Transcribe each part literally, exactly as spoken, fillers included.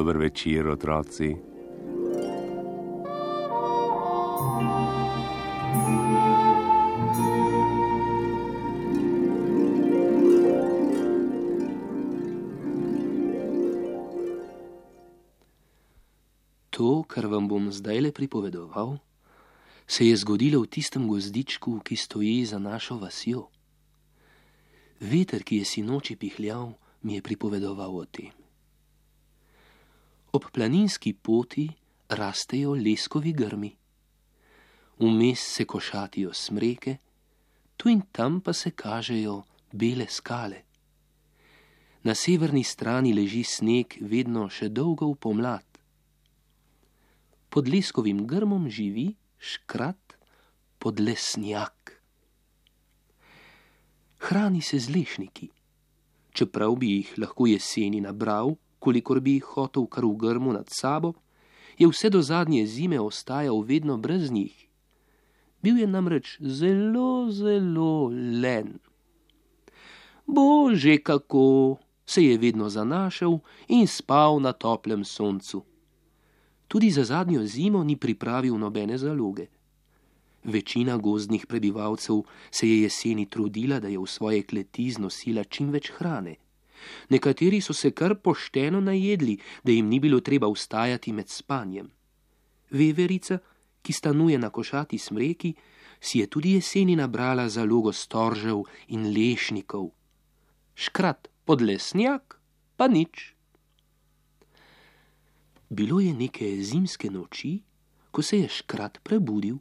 Dober večer, otroci. To, kar vam bom zdajle pripovedoval, se je zgodilo v tistem gozdičku, ki stoji za našo vasjo. Veter, ki je sinoči pihljal, mi je pripovedoval o tem. Ob planinski poti rastejo leskovi grmi. Vmes se košatijo smreke, tu in tam pa se kažejo bele skale. Na severni strani leži sneg vedno še dolgo v pomlad. Pod leskovim grmom živi škrat podlesnjak. Hrani se z lešniki, čeprav bi jih lahko jeseni nabral, kolikor bi jih hotel kar v grmu nad sabo, je vse do zadnje zime ostajal vedno brez njih. Bil je namreč zelo, zelo len. Bože, kako se je vedno zanašal in spal na toplem soncu. Tudi za zadnjo zimo ni pripravil nobene zaloge. Večina gozdnih prebivalcev se je jeseni trudila, da je v svoje kleti znosila čim več hrane. Nekateri so se kar pošteno najedli, da jim ni bilo treba vstajati med spanjem. Veverica, ki stanuje na košati smreki, si je tudi jeseni nabrala zalogo storžev in lešnikov. Škrat podlesnjak pa nič. Bilo je neke zimske noči, ko se je škrat prebudil.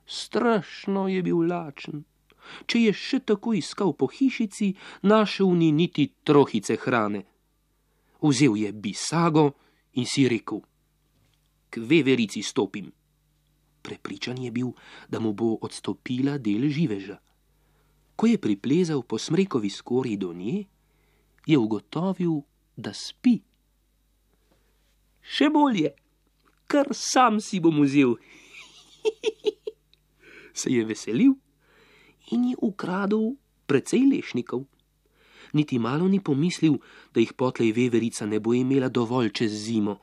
Strašno je bil lačen. Če je še tako iskal po hišici, našel ni niti trohice hrane. Vzel je bisago in si rekel: K veverici stopim. Prepričan je bil, da mu bo odstopila del živeža. Ko je priplezal po smrekovi skorji do nje, je ugotovil, da spi. Še bolje, kar sam si bom vzel. Se je veselil in je ukradel precej lešnikov. Niti malo ni pomislil, da jih potlej veverica ne bo imela dovolj čez zimo.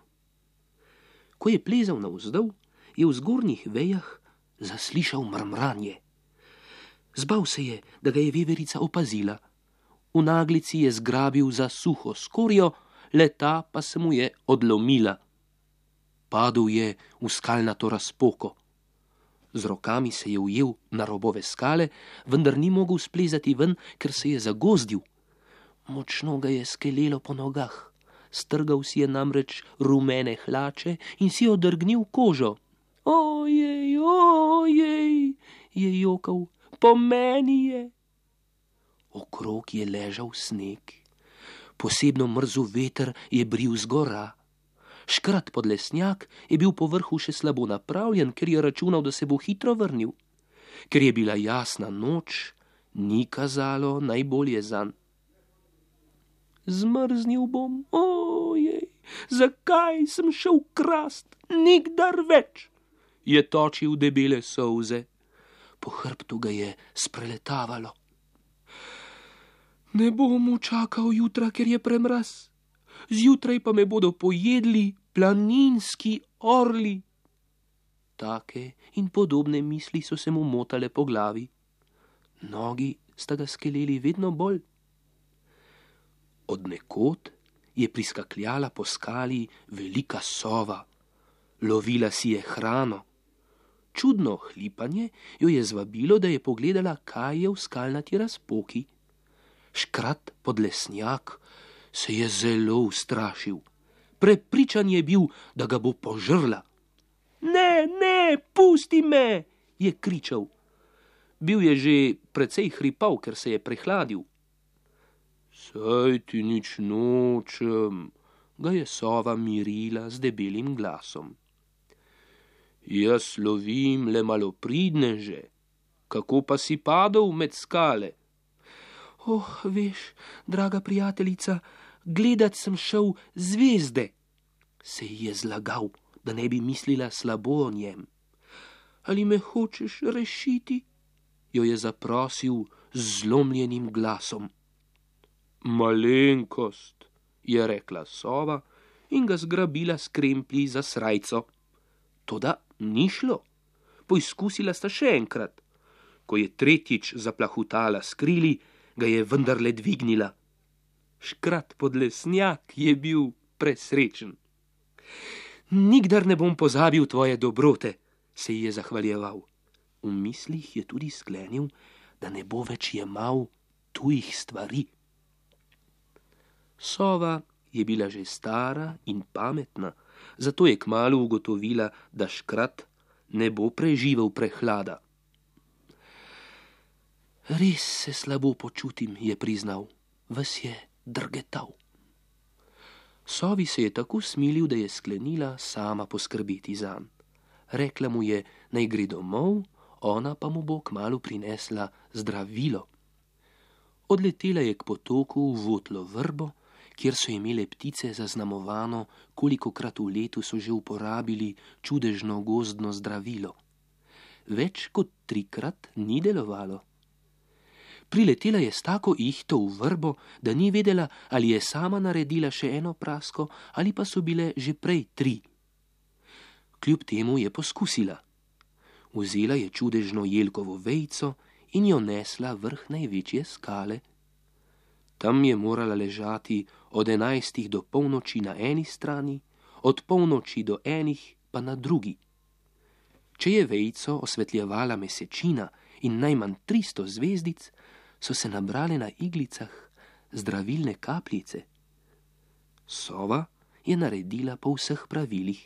Ko je plezal navzdol, je v zgornjih vejah zaslišal mrmranje. Zbal se je, da ga je veverica opazila. V naglici je zgrabil za suho skorjo, leta pa se mu je odlomila. Padel je v skalnato razpoko. Z rokami se je ujel na robove skale, vendar ni mogel splezati ven, ker se je zagozdil. Močno ga je skelelo po nogah. Strgal si je namreč rumene hlače in si odrgnil kožo. Ojej, ojej, je jokal, po meni je. Okrog je ležal sneg. Posebno mrzel veter je bril z gora. Škrat podlesnjak je bil po vrhu še slabo napravljen, ker je računal, da se bo hitro vrnil. Ker je bila jasna noč, ni kazalo najbolje zanj. Zmrznil bom, ojej, zakaj sem šel krast, nikdar več, je točil debele solze. Po hrbtu ga je spreletavalo. Ne bom čakal jutra, ker je premraz. Zjutraj pa me bodo pojedli planinski orli. Take in podobne misli so se mu motale po glavi. Nogi sta ga skeleli vedno bolj. Od nekod je priskakljala po skali velika sova. Lovila si je hrano. Čudno hlipanje jo je zvabilo, da je pogledala, kaj je v skalnati razpoki. Škrat podlesnjak se je zelo ustrašil. Prepričan je bil, da ga bo požrla. Ne, ne, pusti me, je kričal. Bil je že precej hripav, ker se je prehladil. Saj ti nič nočem, ga je sova mirila z debelim glasom. Jaz lovim le malopridneže, kako pa si padel med skale? Oh, veš, draga prijateljica, gledat sem šel zvezde. Se je zlagal, da ne bi mislila slabo o njem. Ali me hočeš rešiti? Jo je zaprosil z zlomljenim glasom. Malenkost, je rekla sova in ga zgrabila s kremplji za srajco. Toda ni šlo. Poizkusila sta še enkrat. Ko je tretjič zaplahutala s krili, ga je vendarle dvignila. Škrat Podlesnjak je bil presrečen. Nikdar ne bom pozabil tvoje dobrote, se ji je zahvaljeval. V mislih je tudi sklenil, da ne bo več jemal tujih stvari. Sova je bila že stara in pametna, zato je kmalu ugotovila, da Škrat ne bo preživel prehlada. Res se slabo počutim, je priznal, ves je drgetal. Sovi se je tako smilil, da je sklenila sama poskrbeti zanj. Rekla mu je, naj gre domov, ona pa mu bo kmalu prinesla zdravilo. Odletela je k potoku v votlo vrbo, kjer so imele ptice zaznamovano, kolikokrat v letu so že uporabili čudežno gozdno zdravilo. Več kot trikrat ni delovalo. Priletela je s tako ihto v vrbo, da ni vedela, ali je sama naredila še eno prasko, ali pa so bile že prej tri. Kljub temu je poskusila. Vzela je čudežno jelkovo vejico in jo nesla vrh največje skale. Tam je morala ležati od enajstih do polnoči na eni strani, od polnoči do enih pa na drugi. Če je vejico osvetljevala mesečina in najmanj tristo zvezdic, so se nabrale na iglicah zdravilne kapljice. Sova je naredila po vseh pravilih.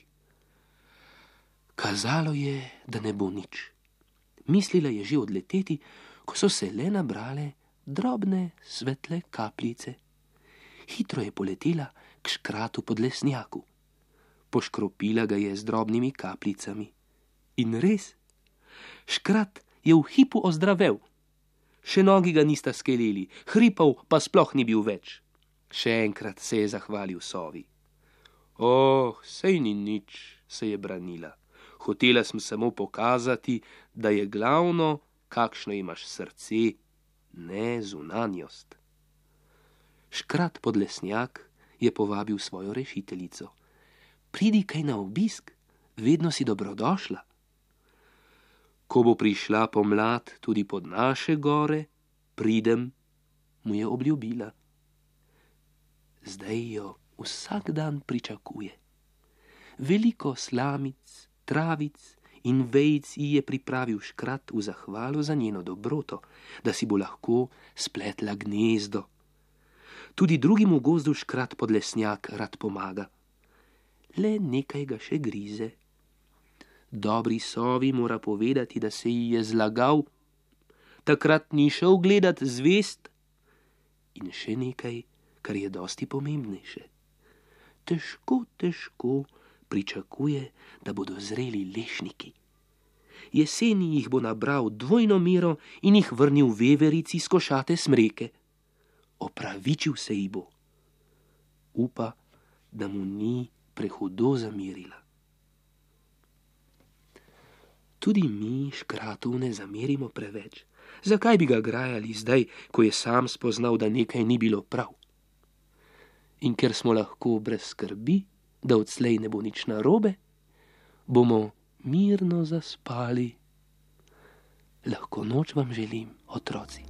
Kazalo je, da ne bo nič. Mislila je že odleteti, ko so se le nabrale drobne svetle kapljice. Hitro je poletela k Škratu Podlesnjaku. Poškropila ga je z drobnimi kapljicami. In res, Škrat je v hipu ozdravel. Še nogi ga nista skeleli, hripov pa sploh ni bil več. Še enkrat se je zahvalil Sovi. Oh, sej ni nič, se je branila. Hotela sem samo pokazati, da je glavno, kakšno imaš srce, ne zunanjost. Škrat Podlesnjak je povabil svojo rešiteljico. Pridi kaj na obisk, vedno si dobrodošla. Ko bo prišla pomlad tudi pod naše gore, pridem, mu je obljubila. Zdaj jo vsak dan pričakuje. Veliko slamic, travic in vejic ji je pripravil Škrat v zahvalo za njeno dobroto, da si bo lahko spletla gnezdo. Tudi drugim v gozdu Škrat Podlesnjak rad pomaga. Le nekaj ga še grize. Dobri Sovi mora povedati, da se ji je zlagal. Takrat ni šel gledat zvezd. In še nekaj, kar je dosti pomembnejše. Težko, težko pričakuje, da bodo zreli lešniki. Jeseni jih bo nabral dvojno mero in jih vrnil veverici s košate smreke. Opravičil se ji bo. Upa, da mu ni prehudo zamerila. Tudi mi Škratu ne zamerimo preveč. Zakaj bi ga grajali zdaj, ko je sam spoznal, da nekaj ni bilo prav? In ker smo lahko brez skrbi, da odslej ne bo nič narobe, bomo mirno zaspali. Lahko noč vam želim, otroci.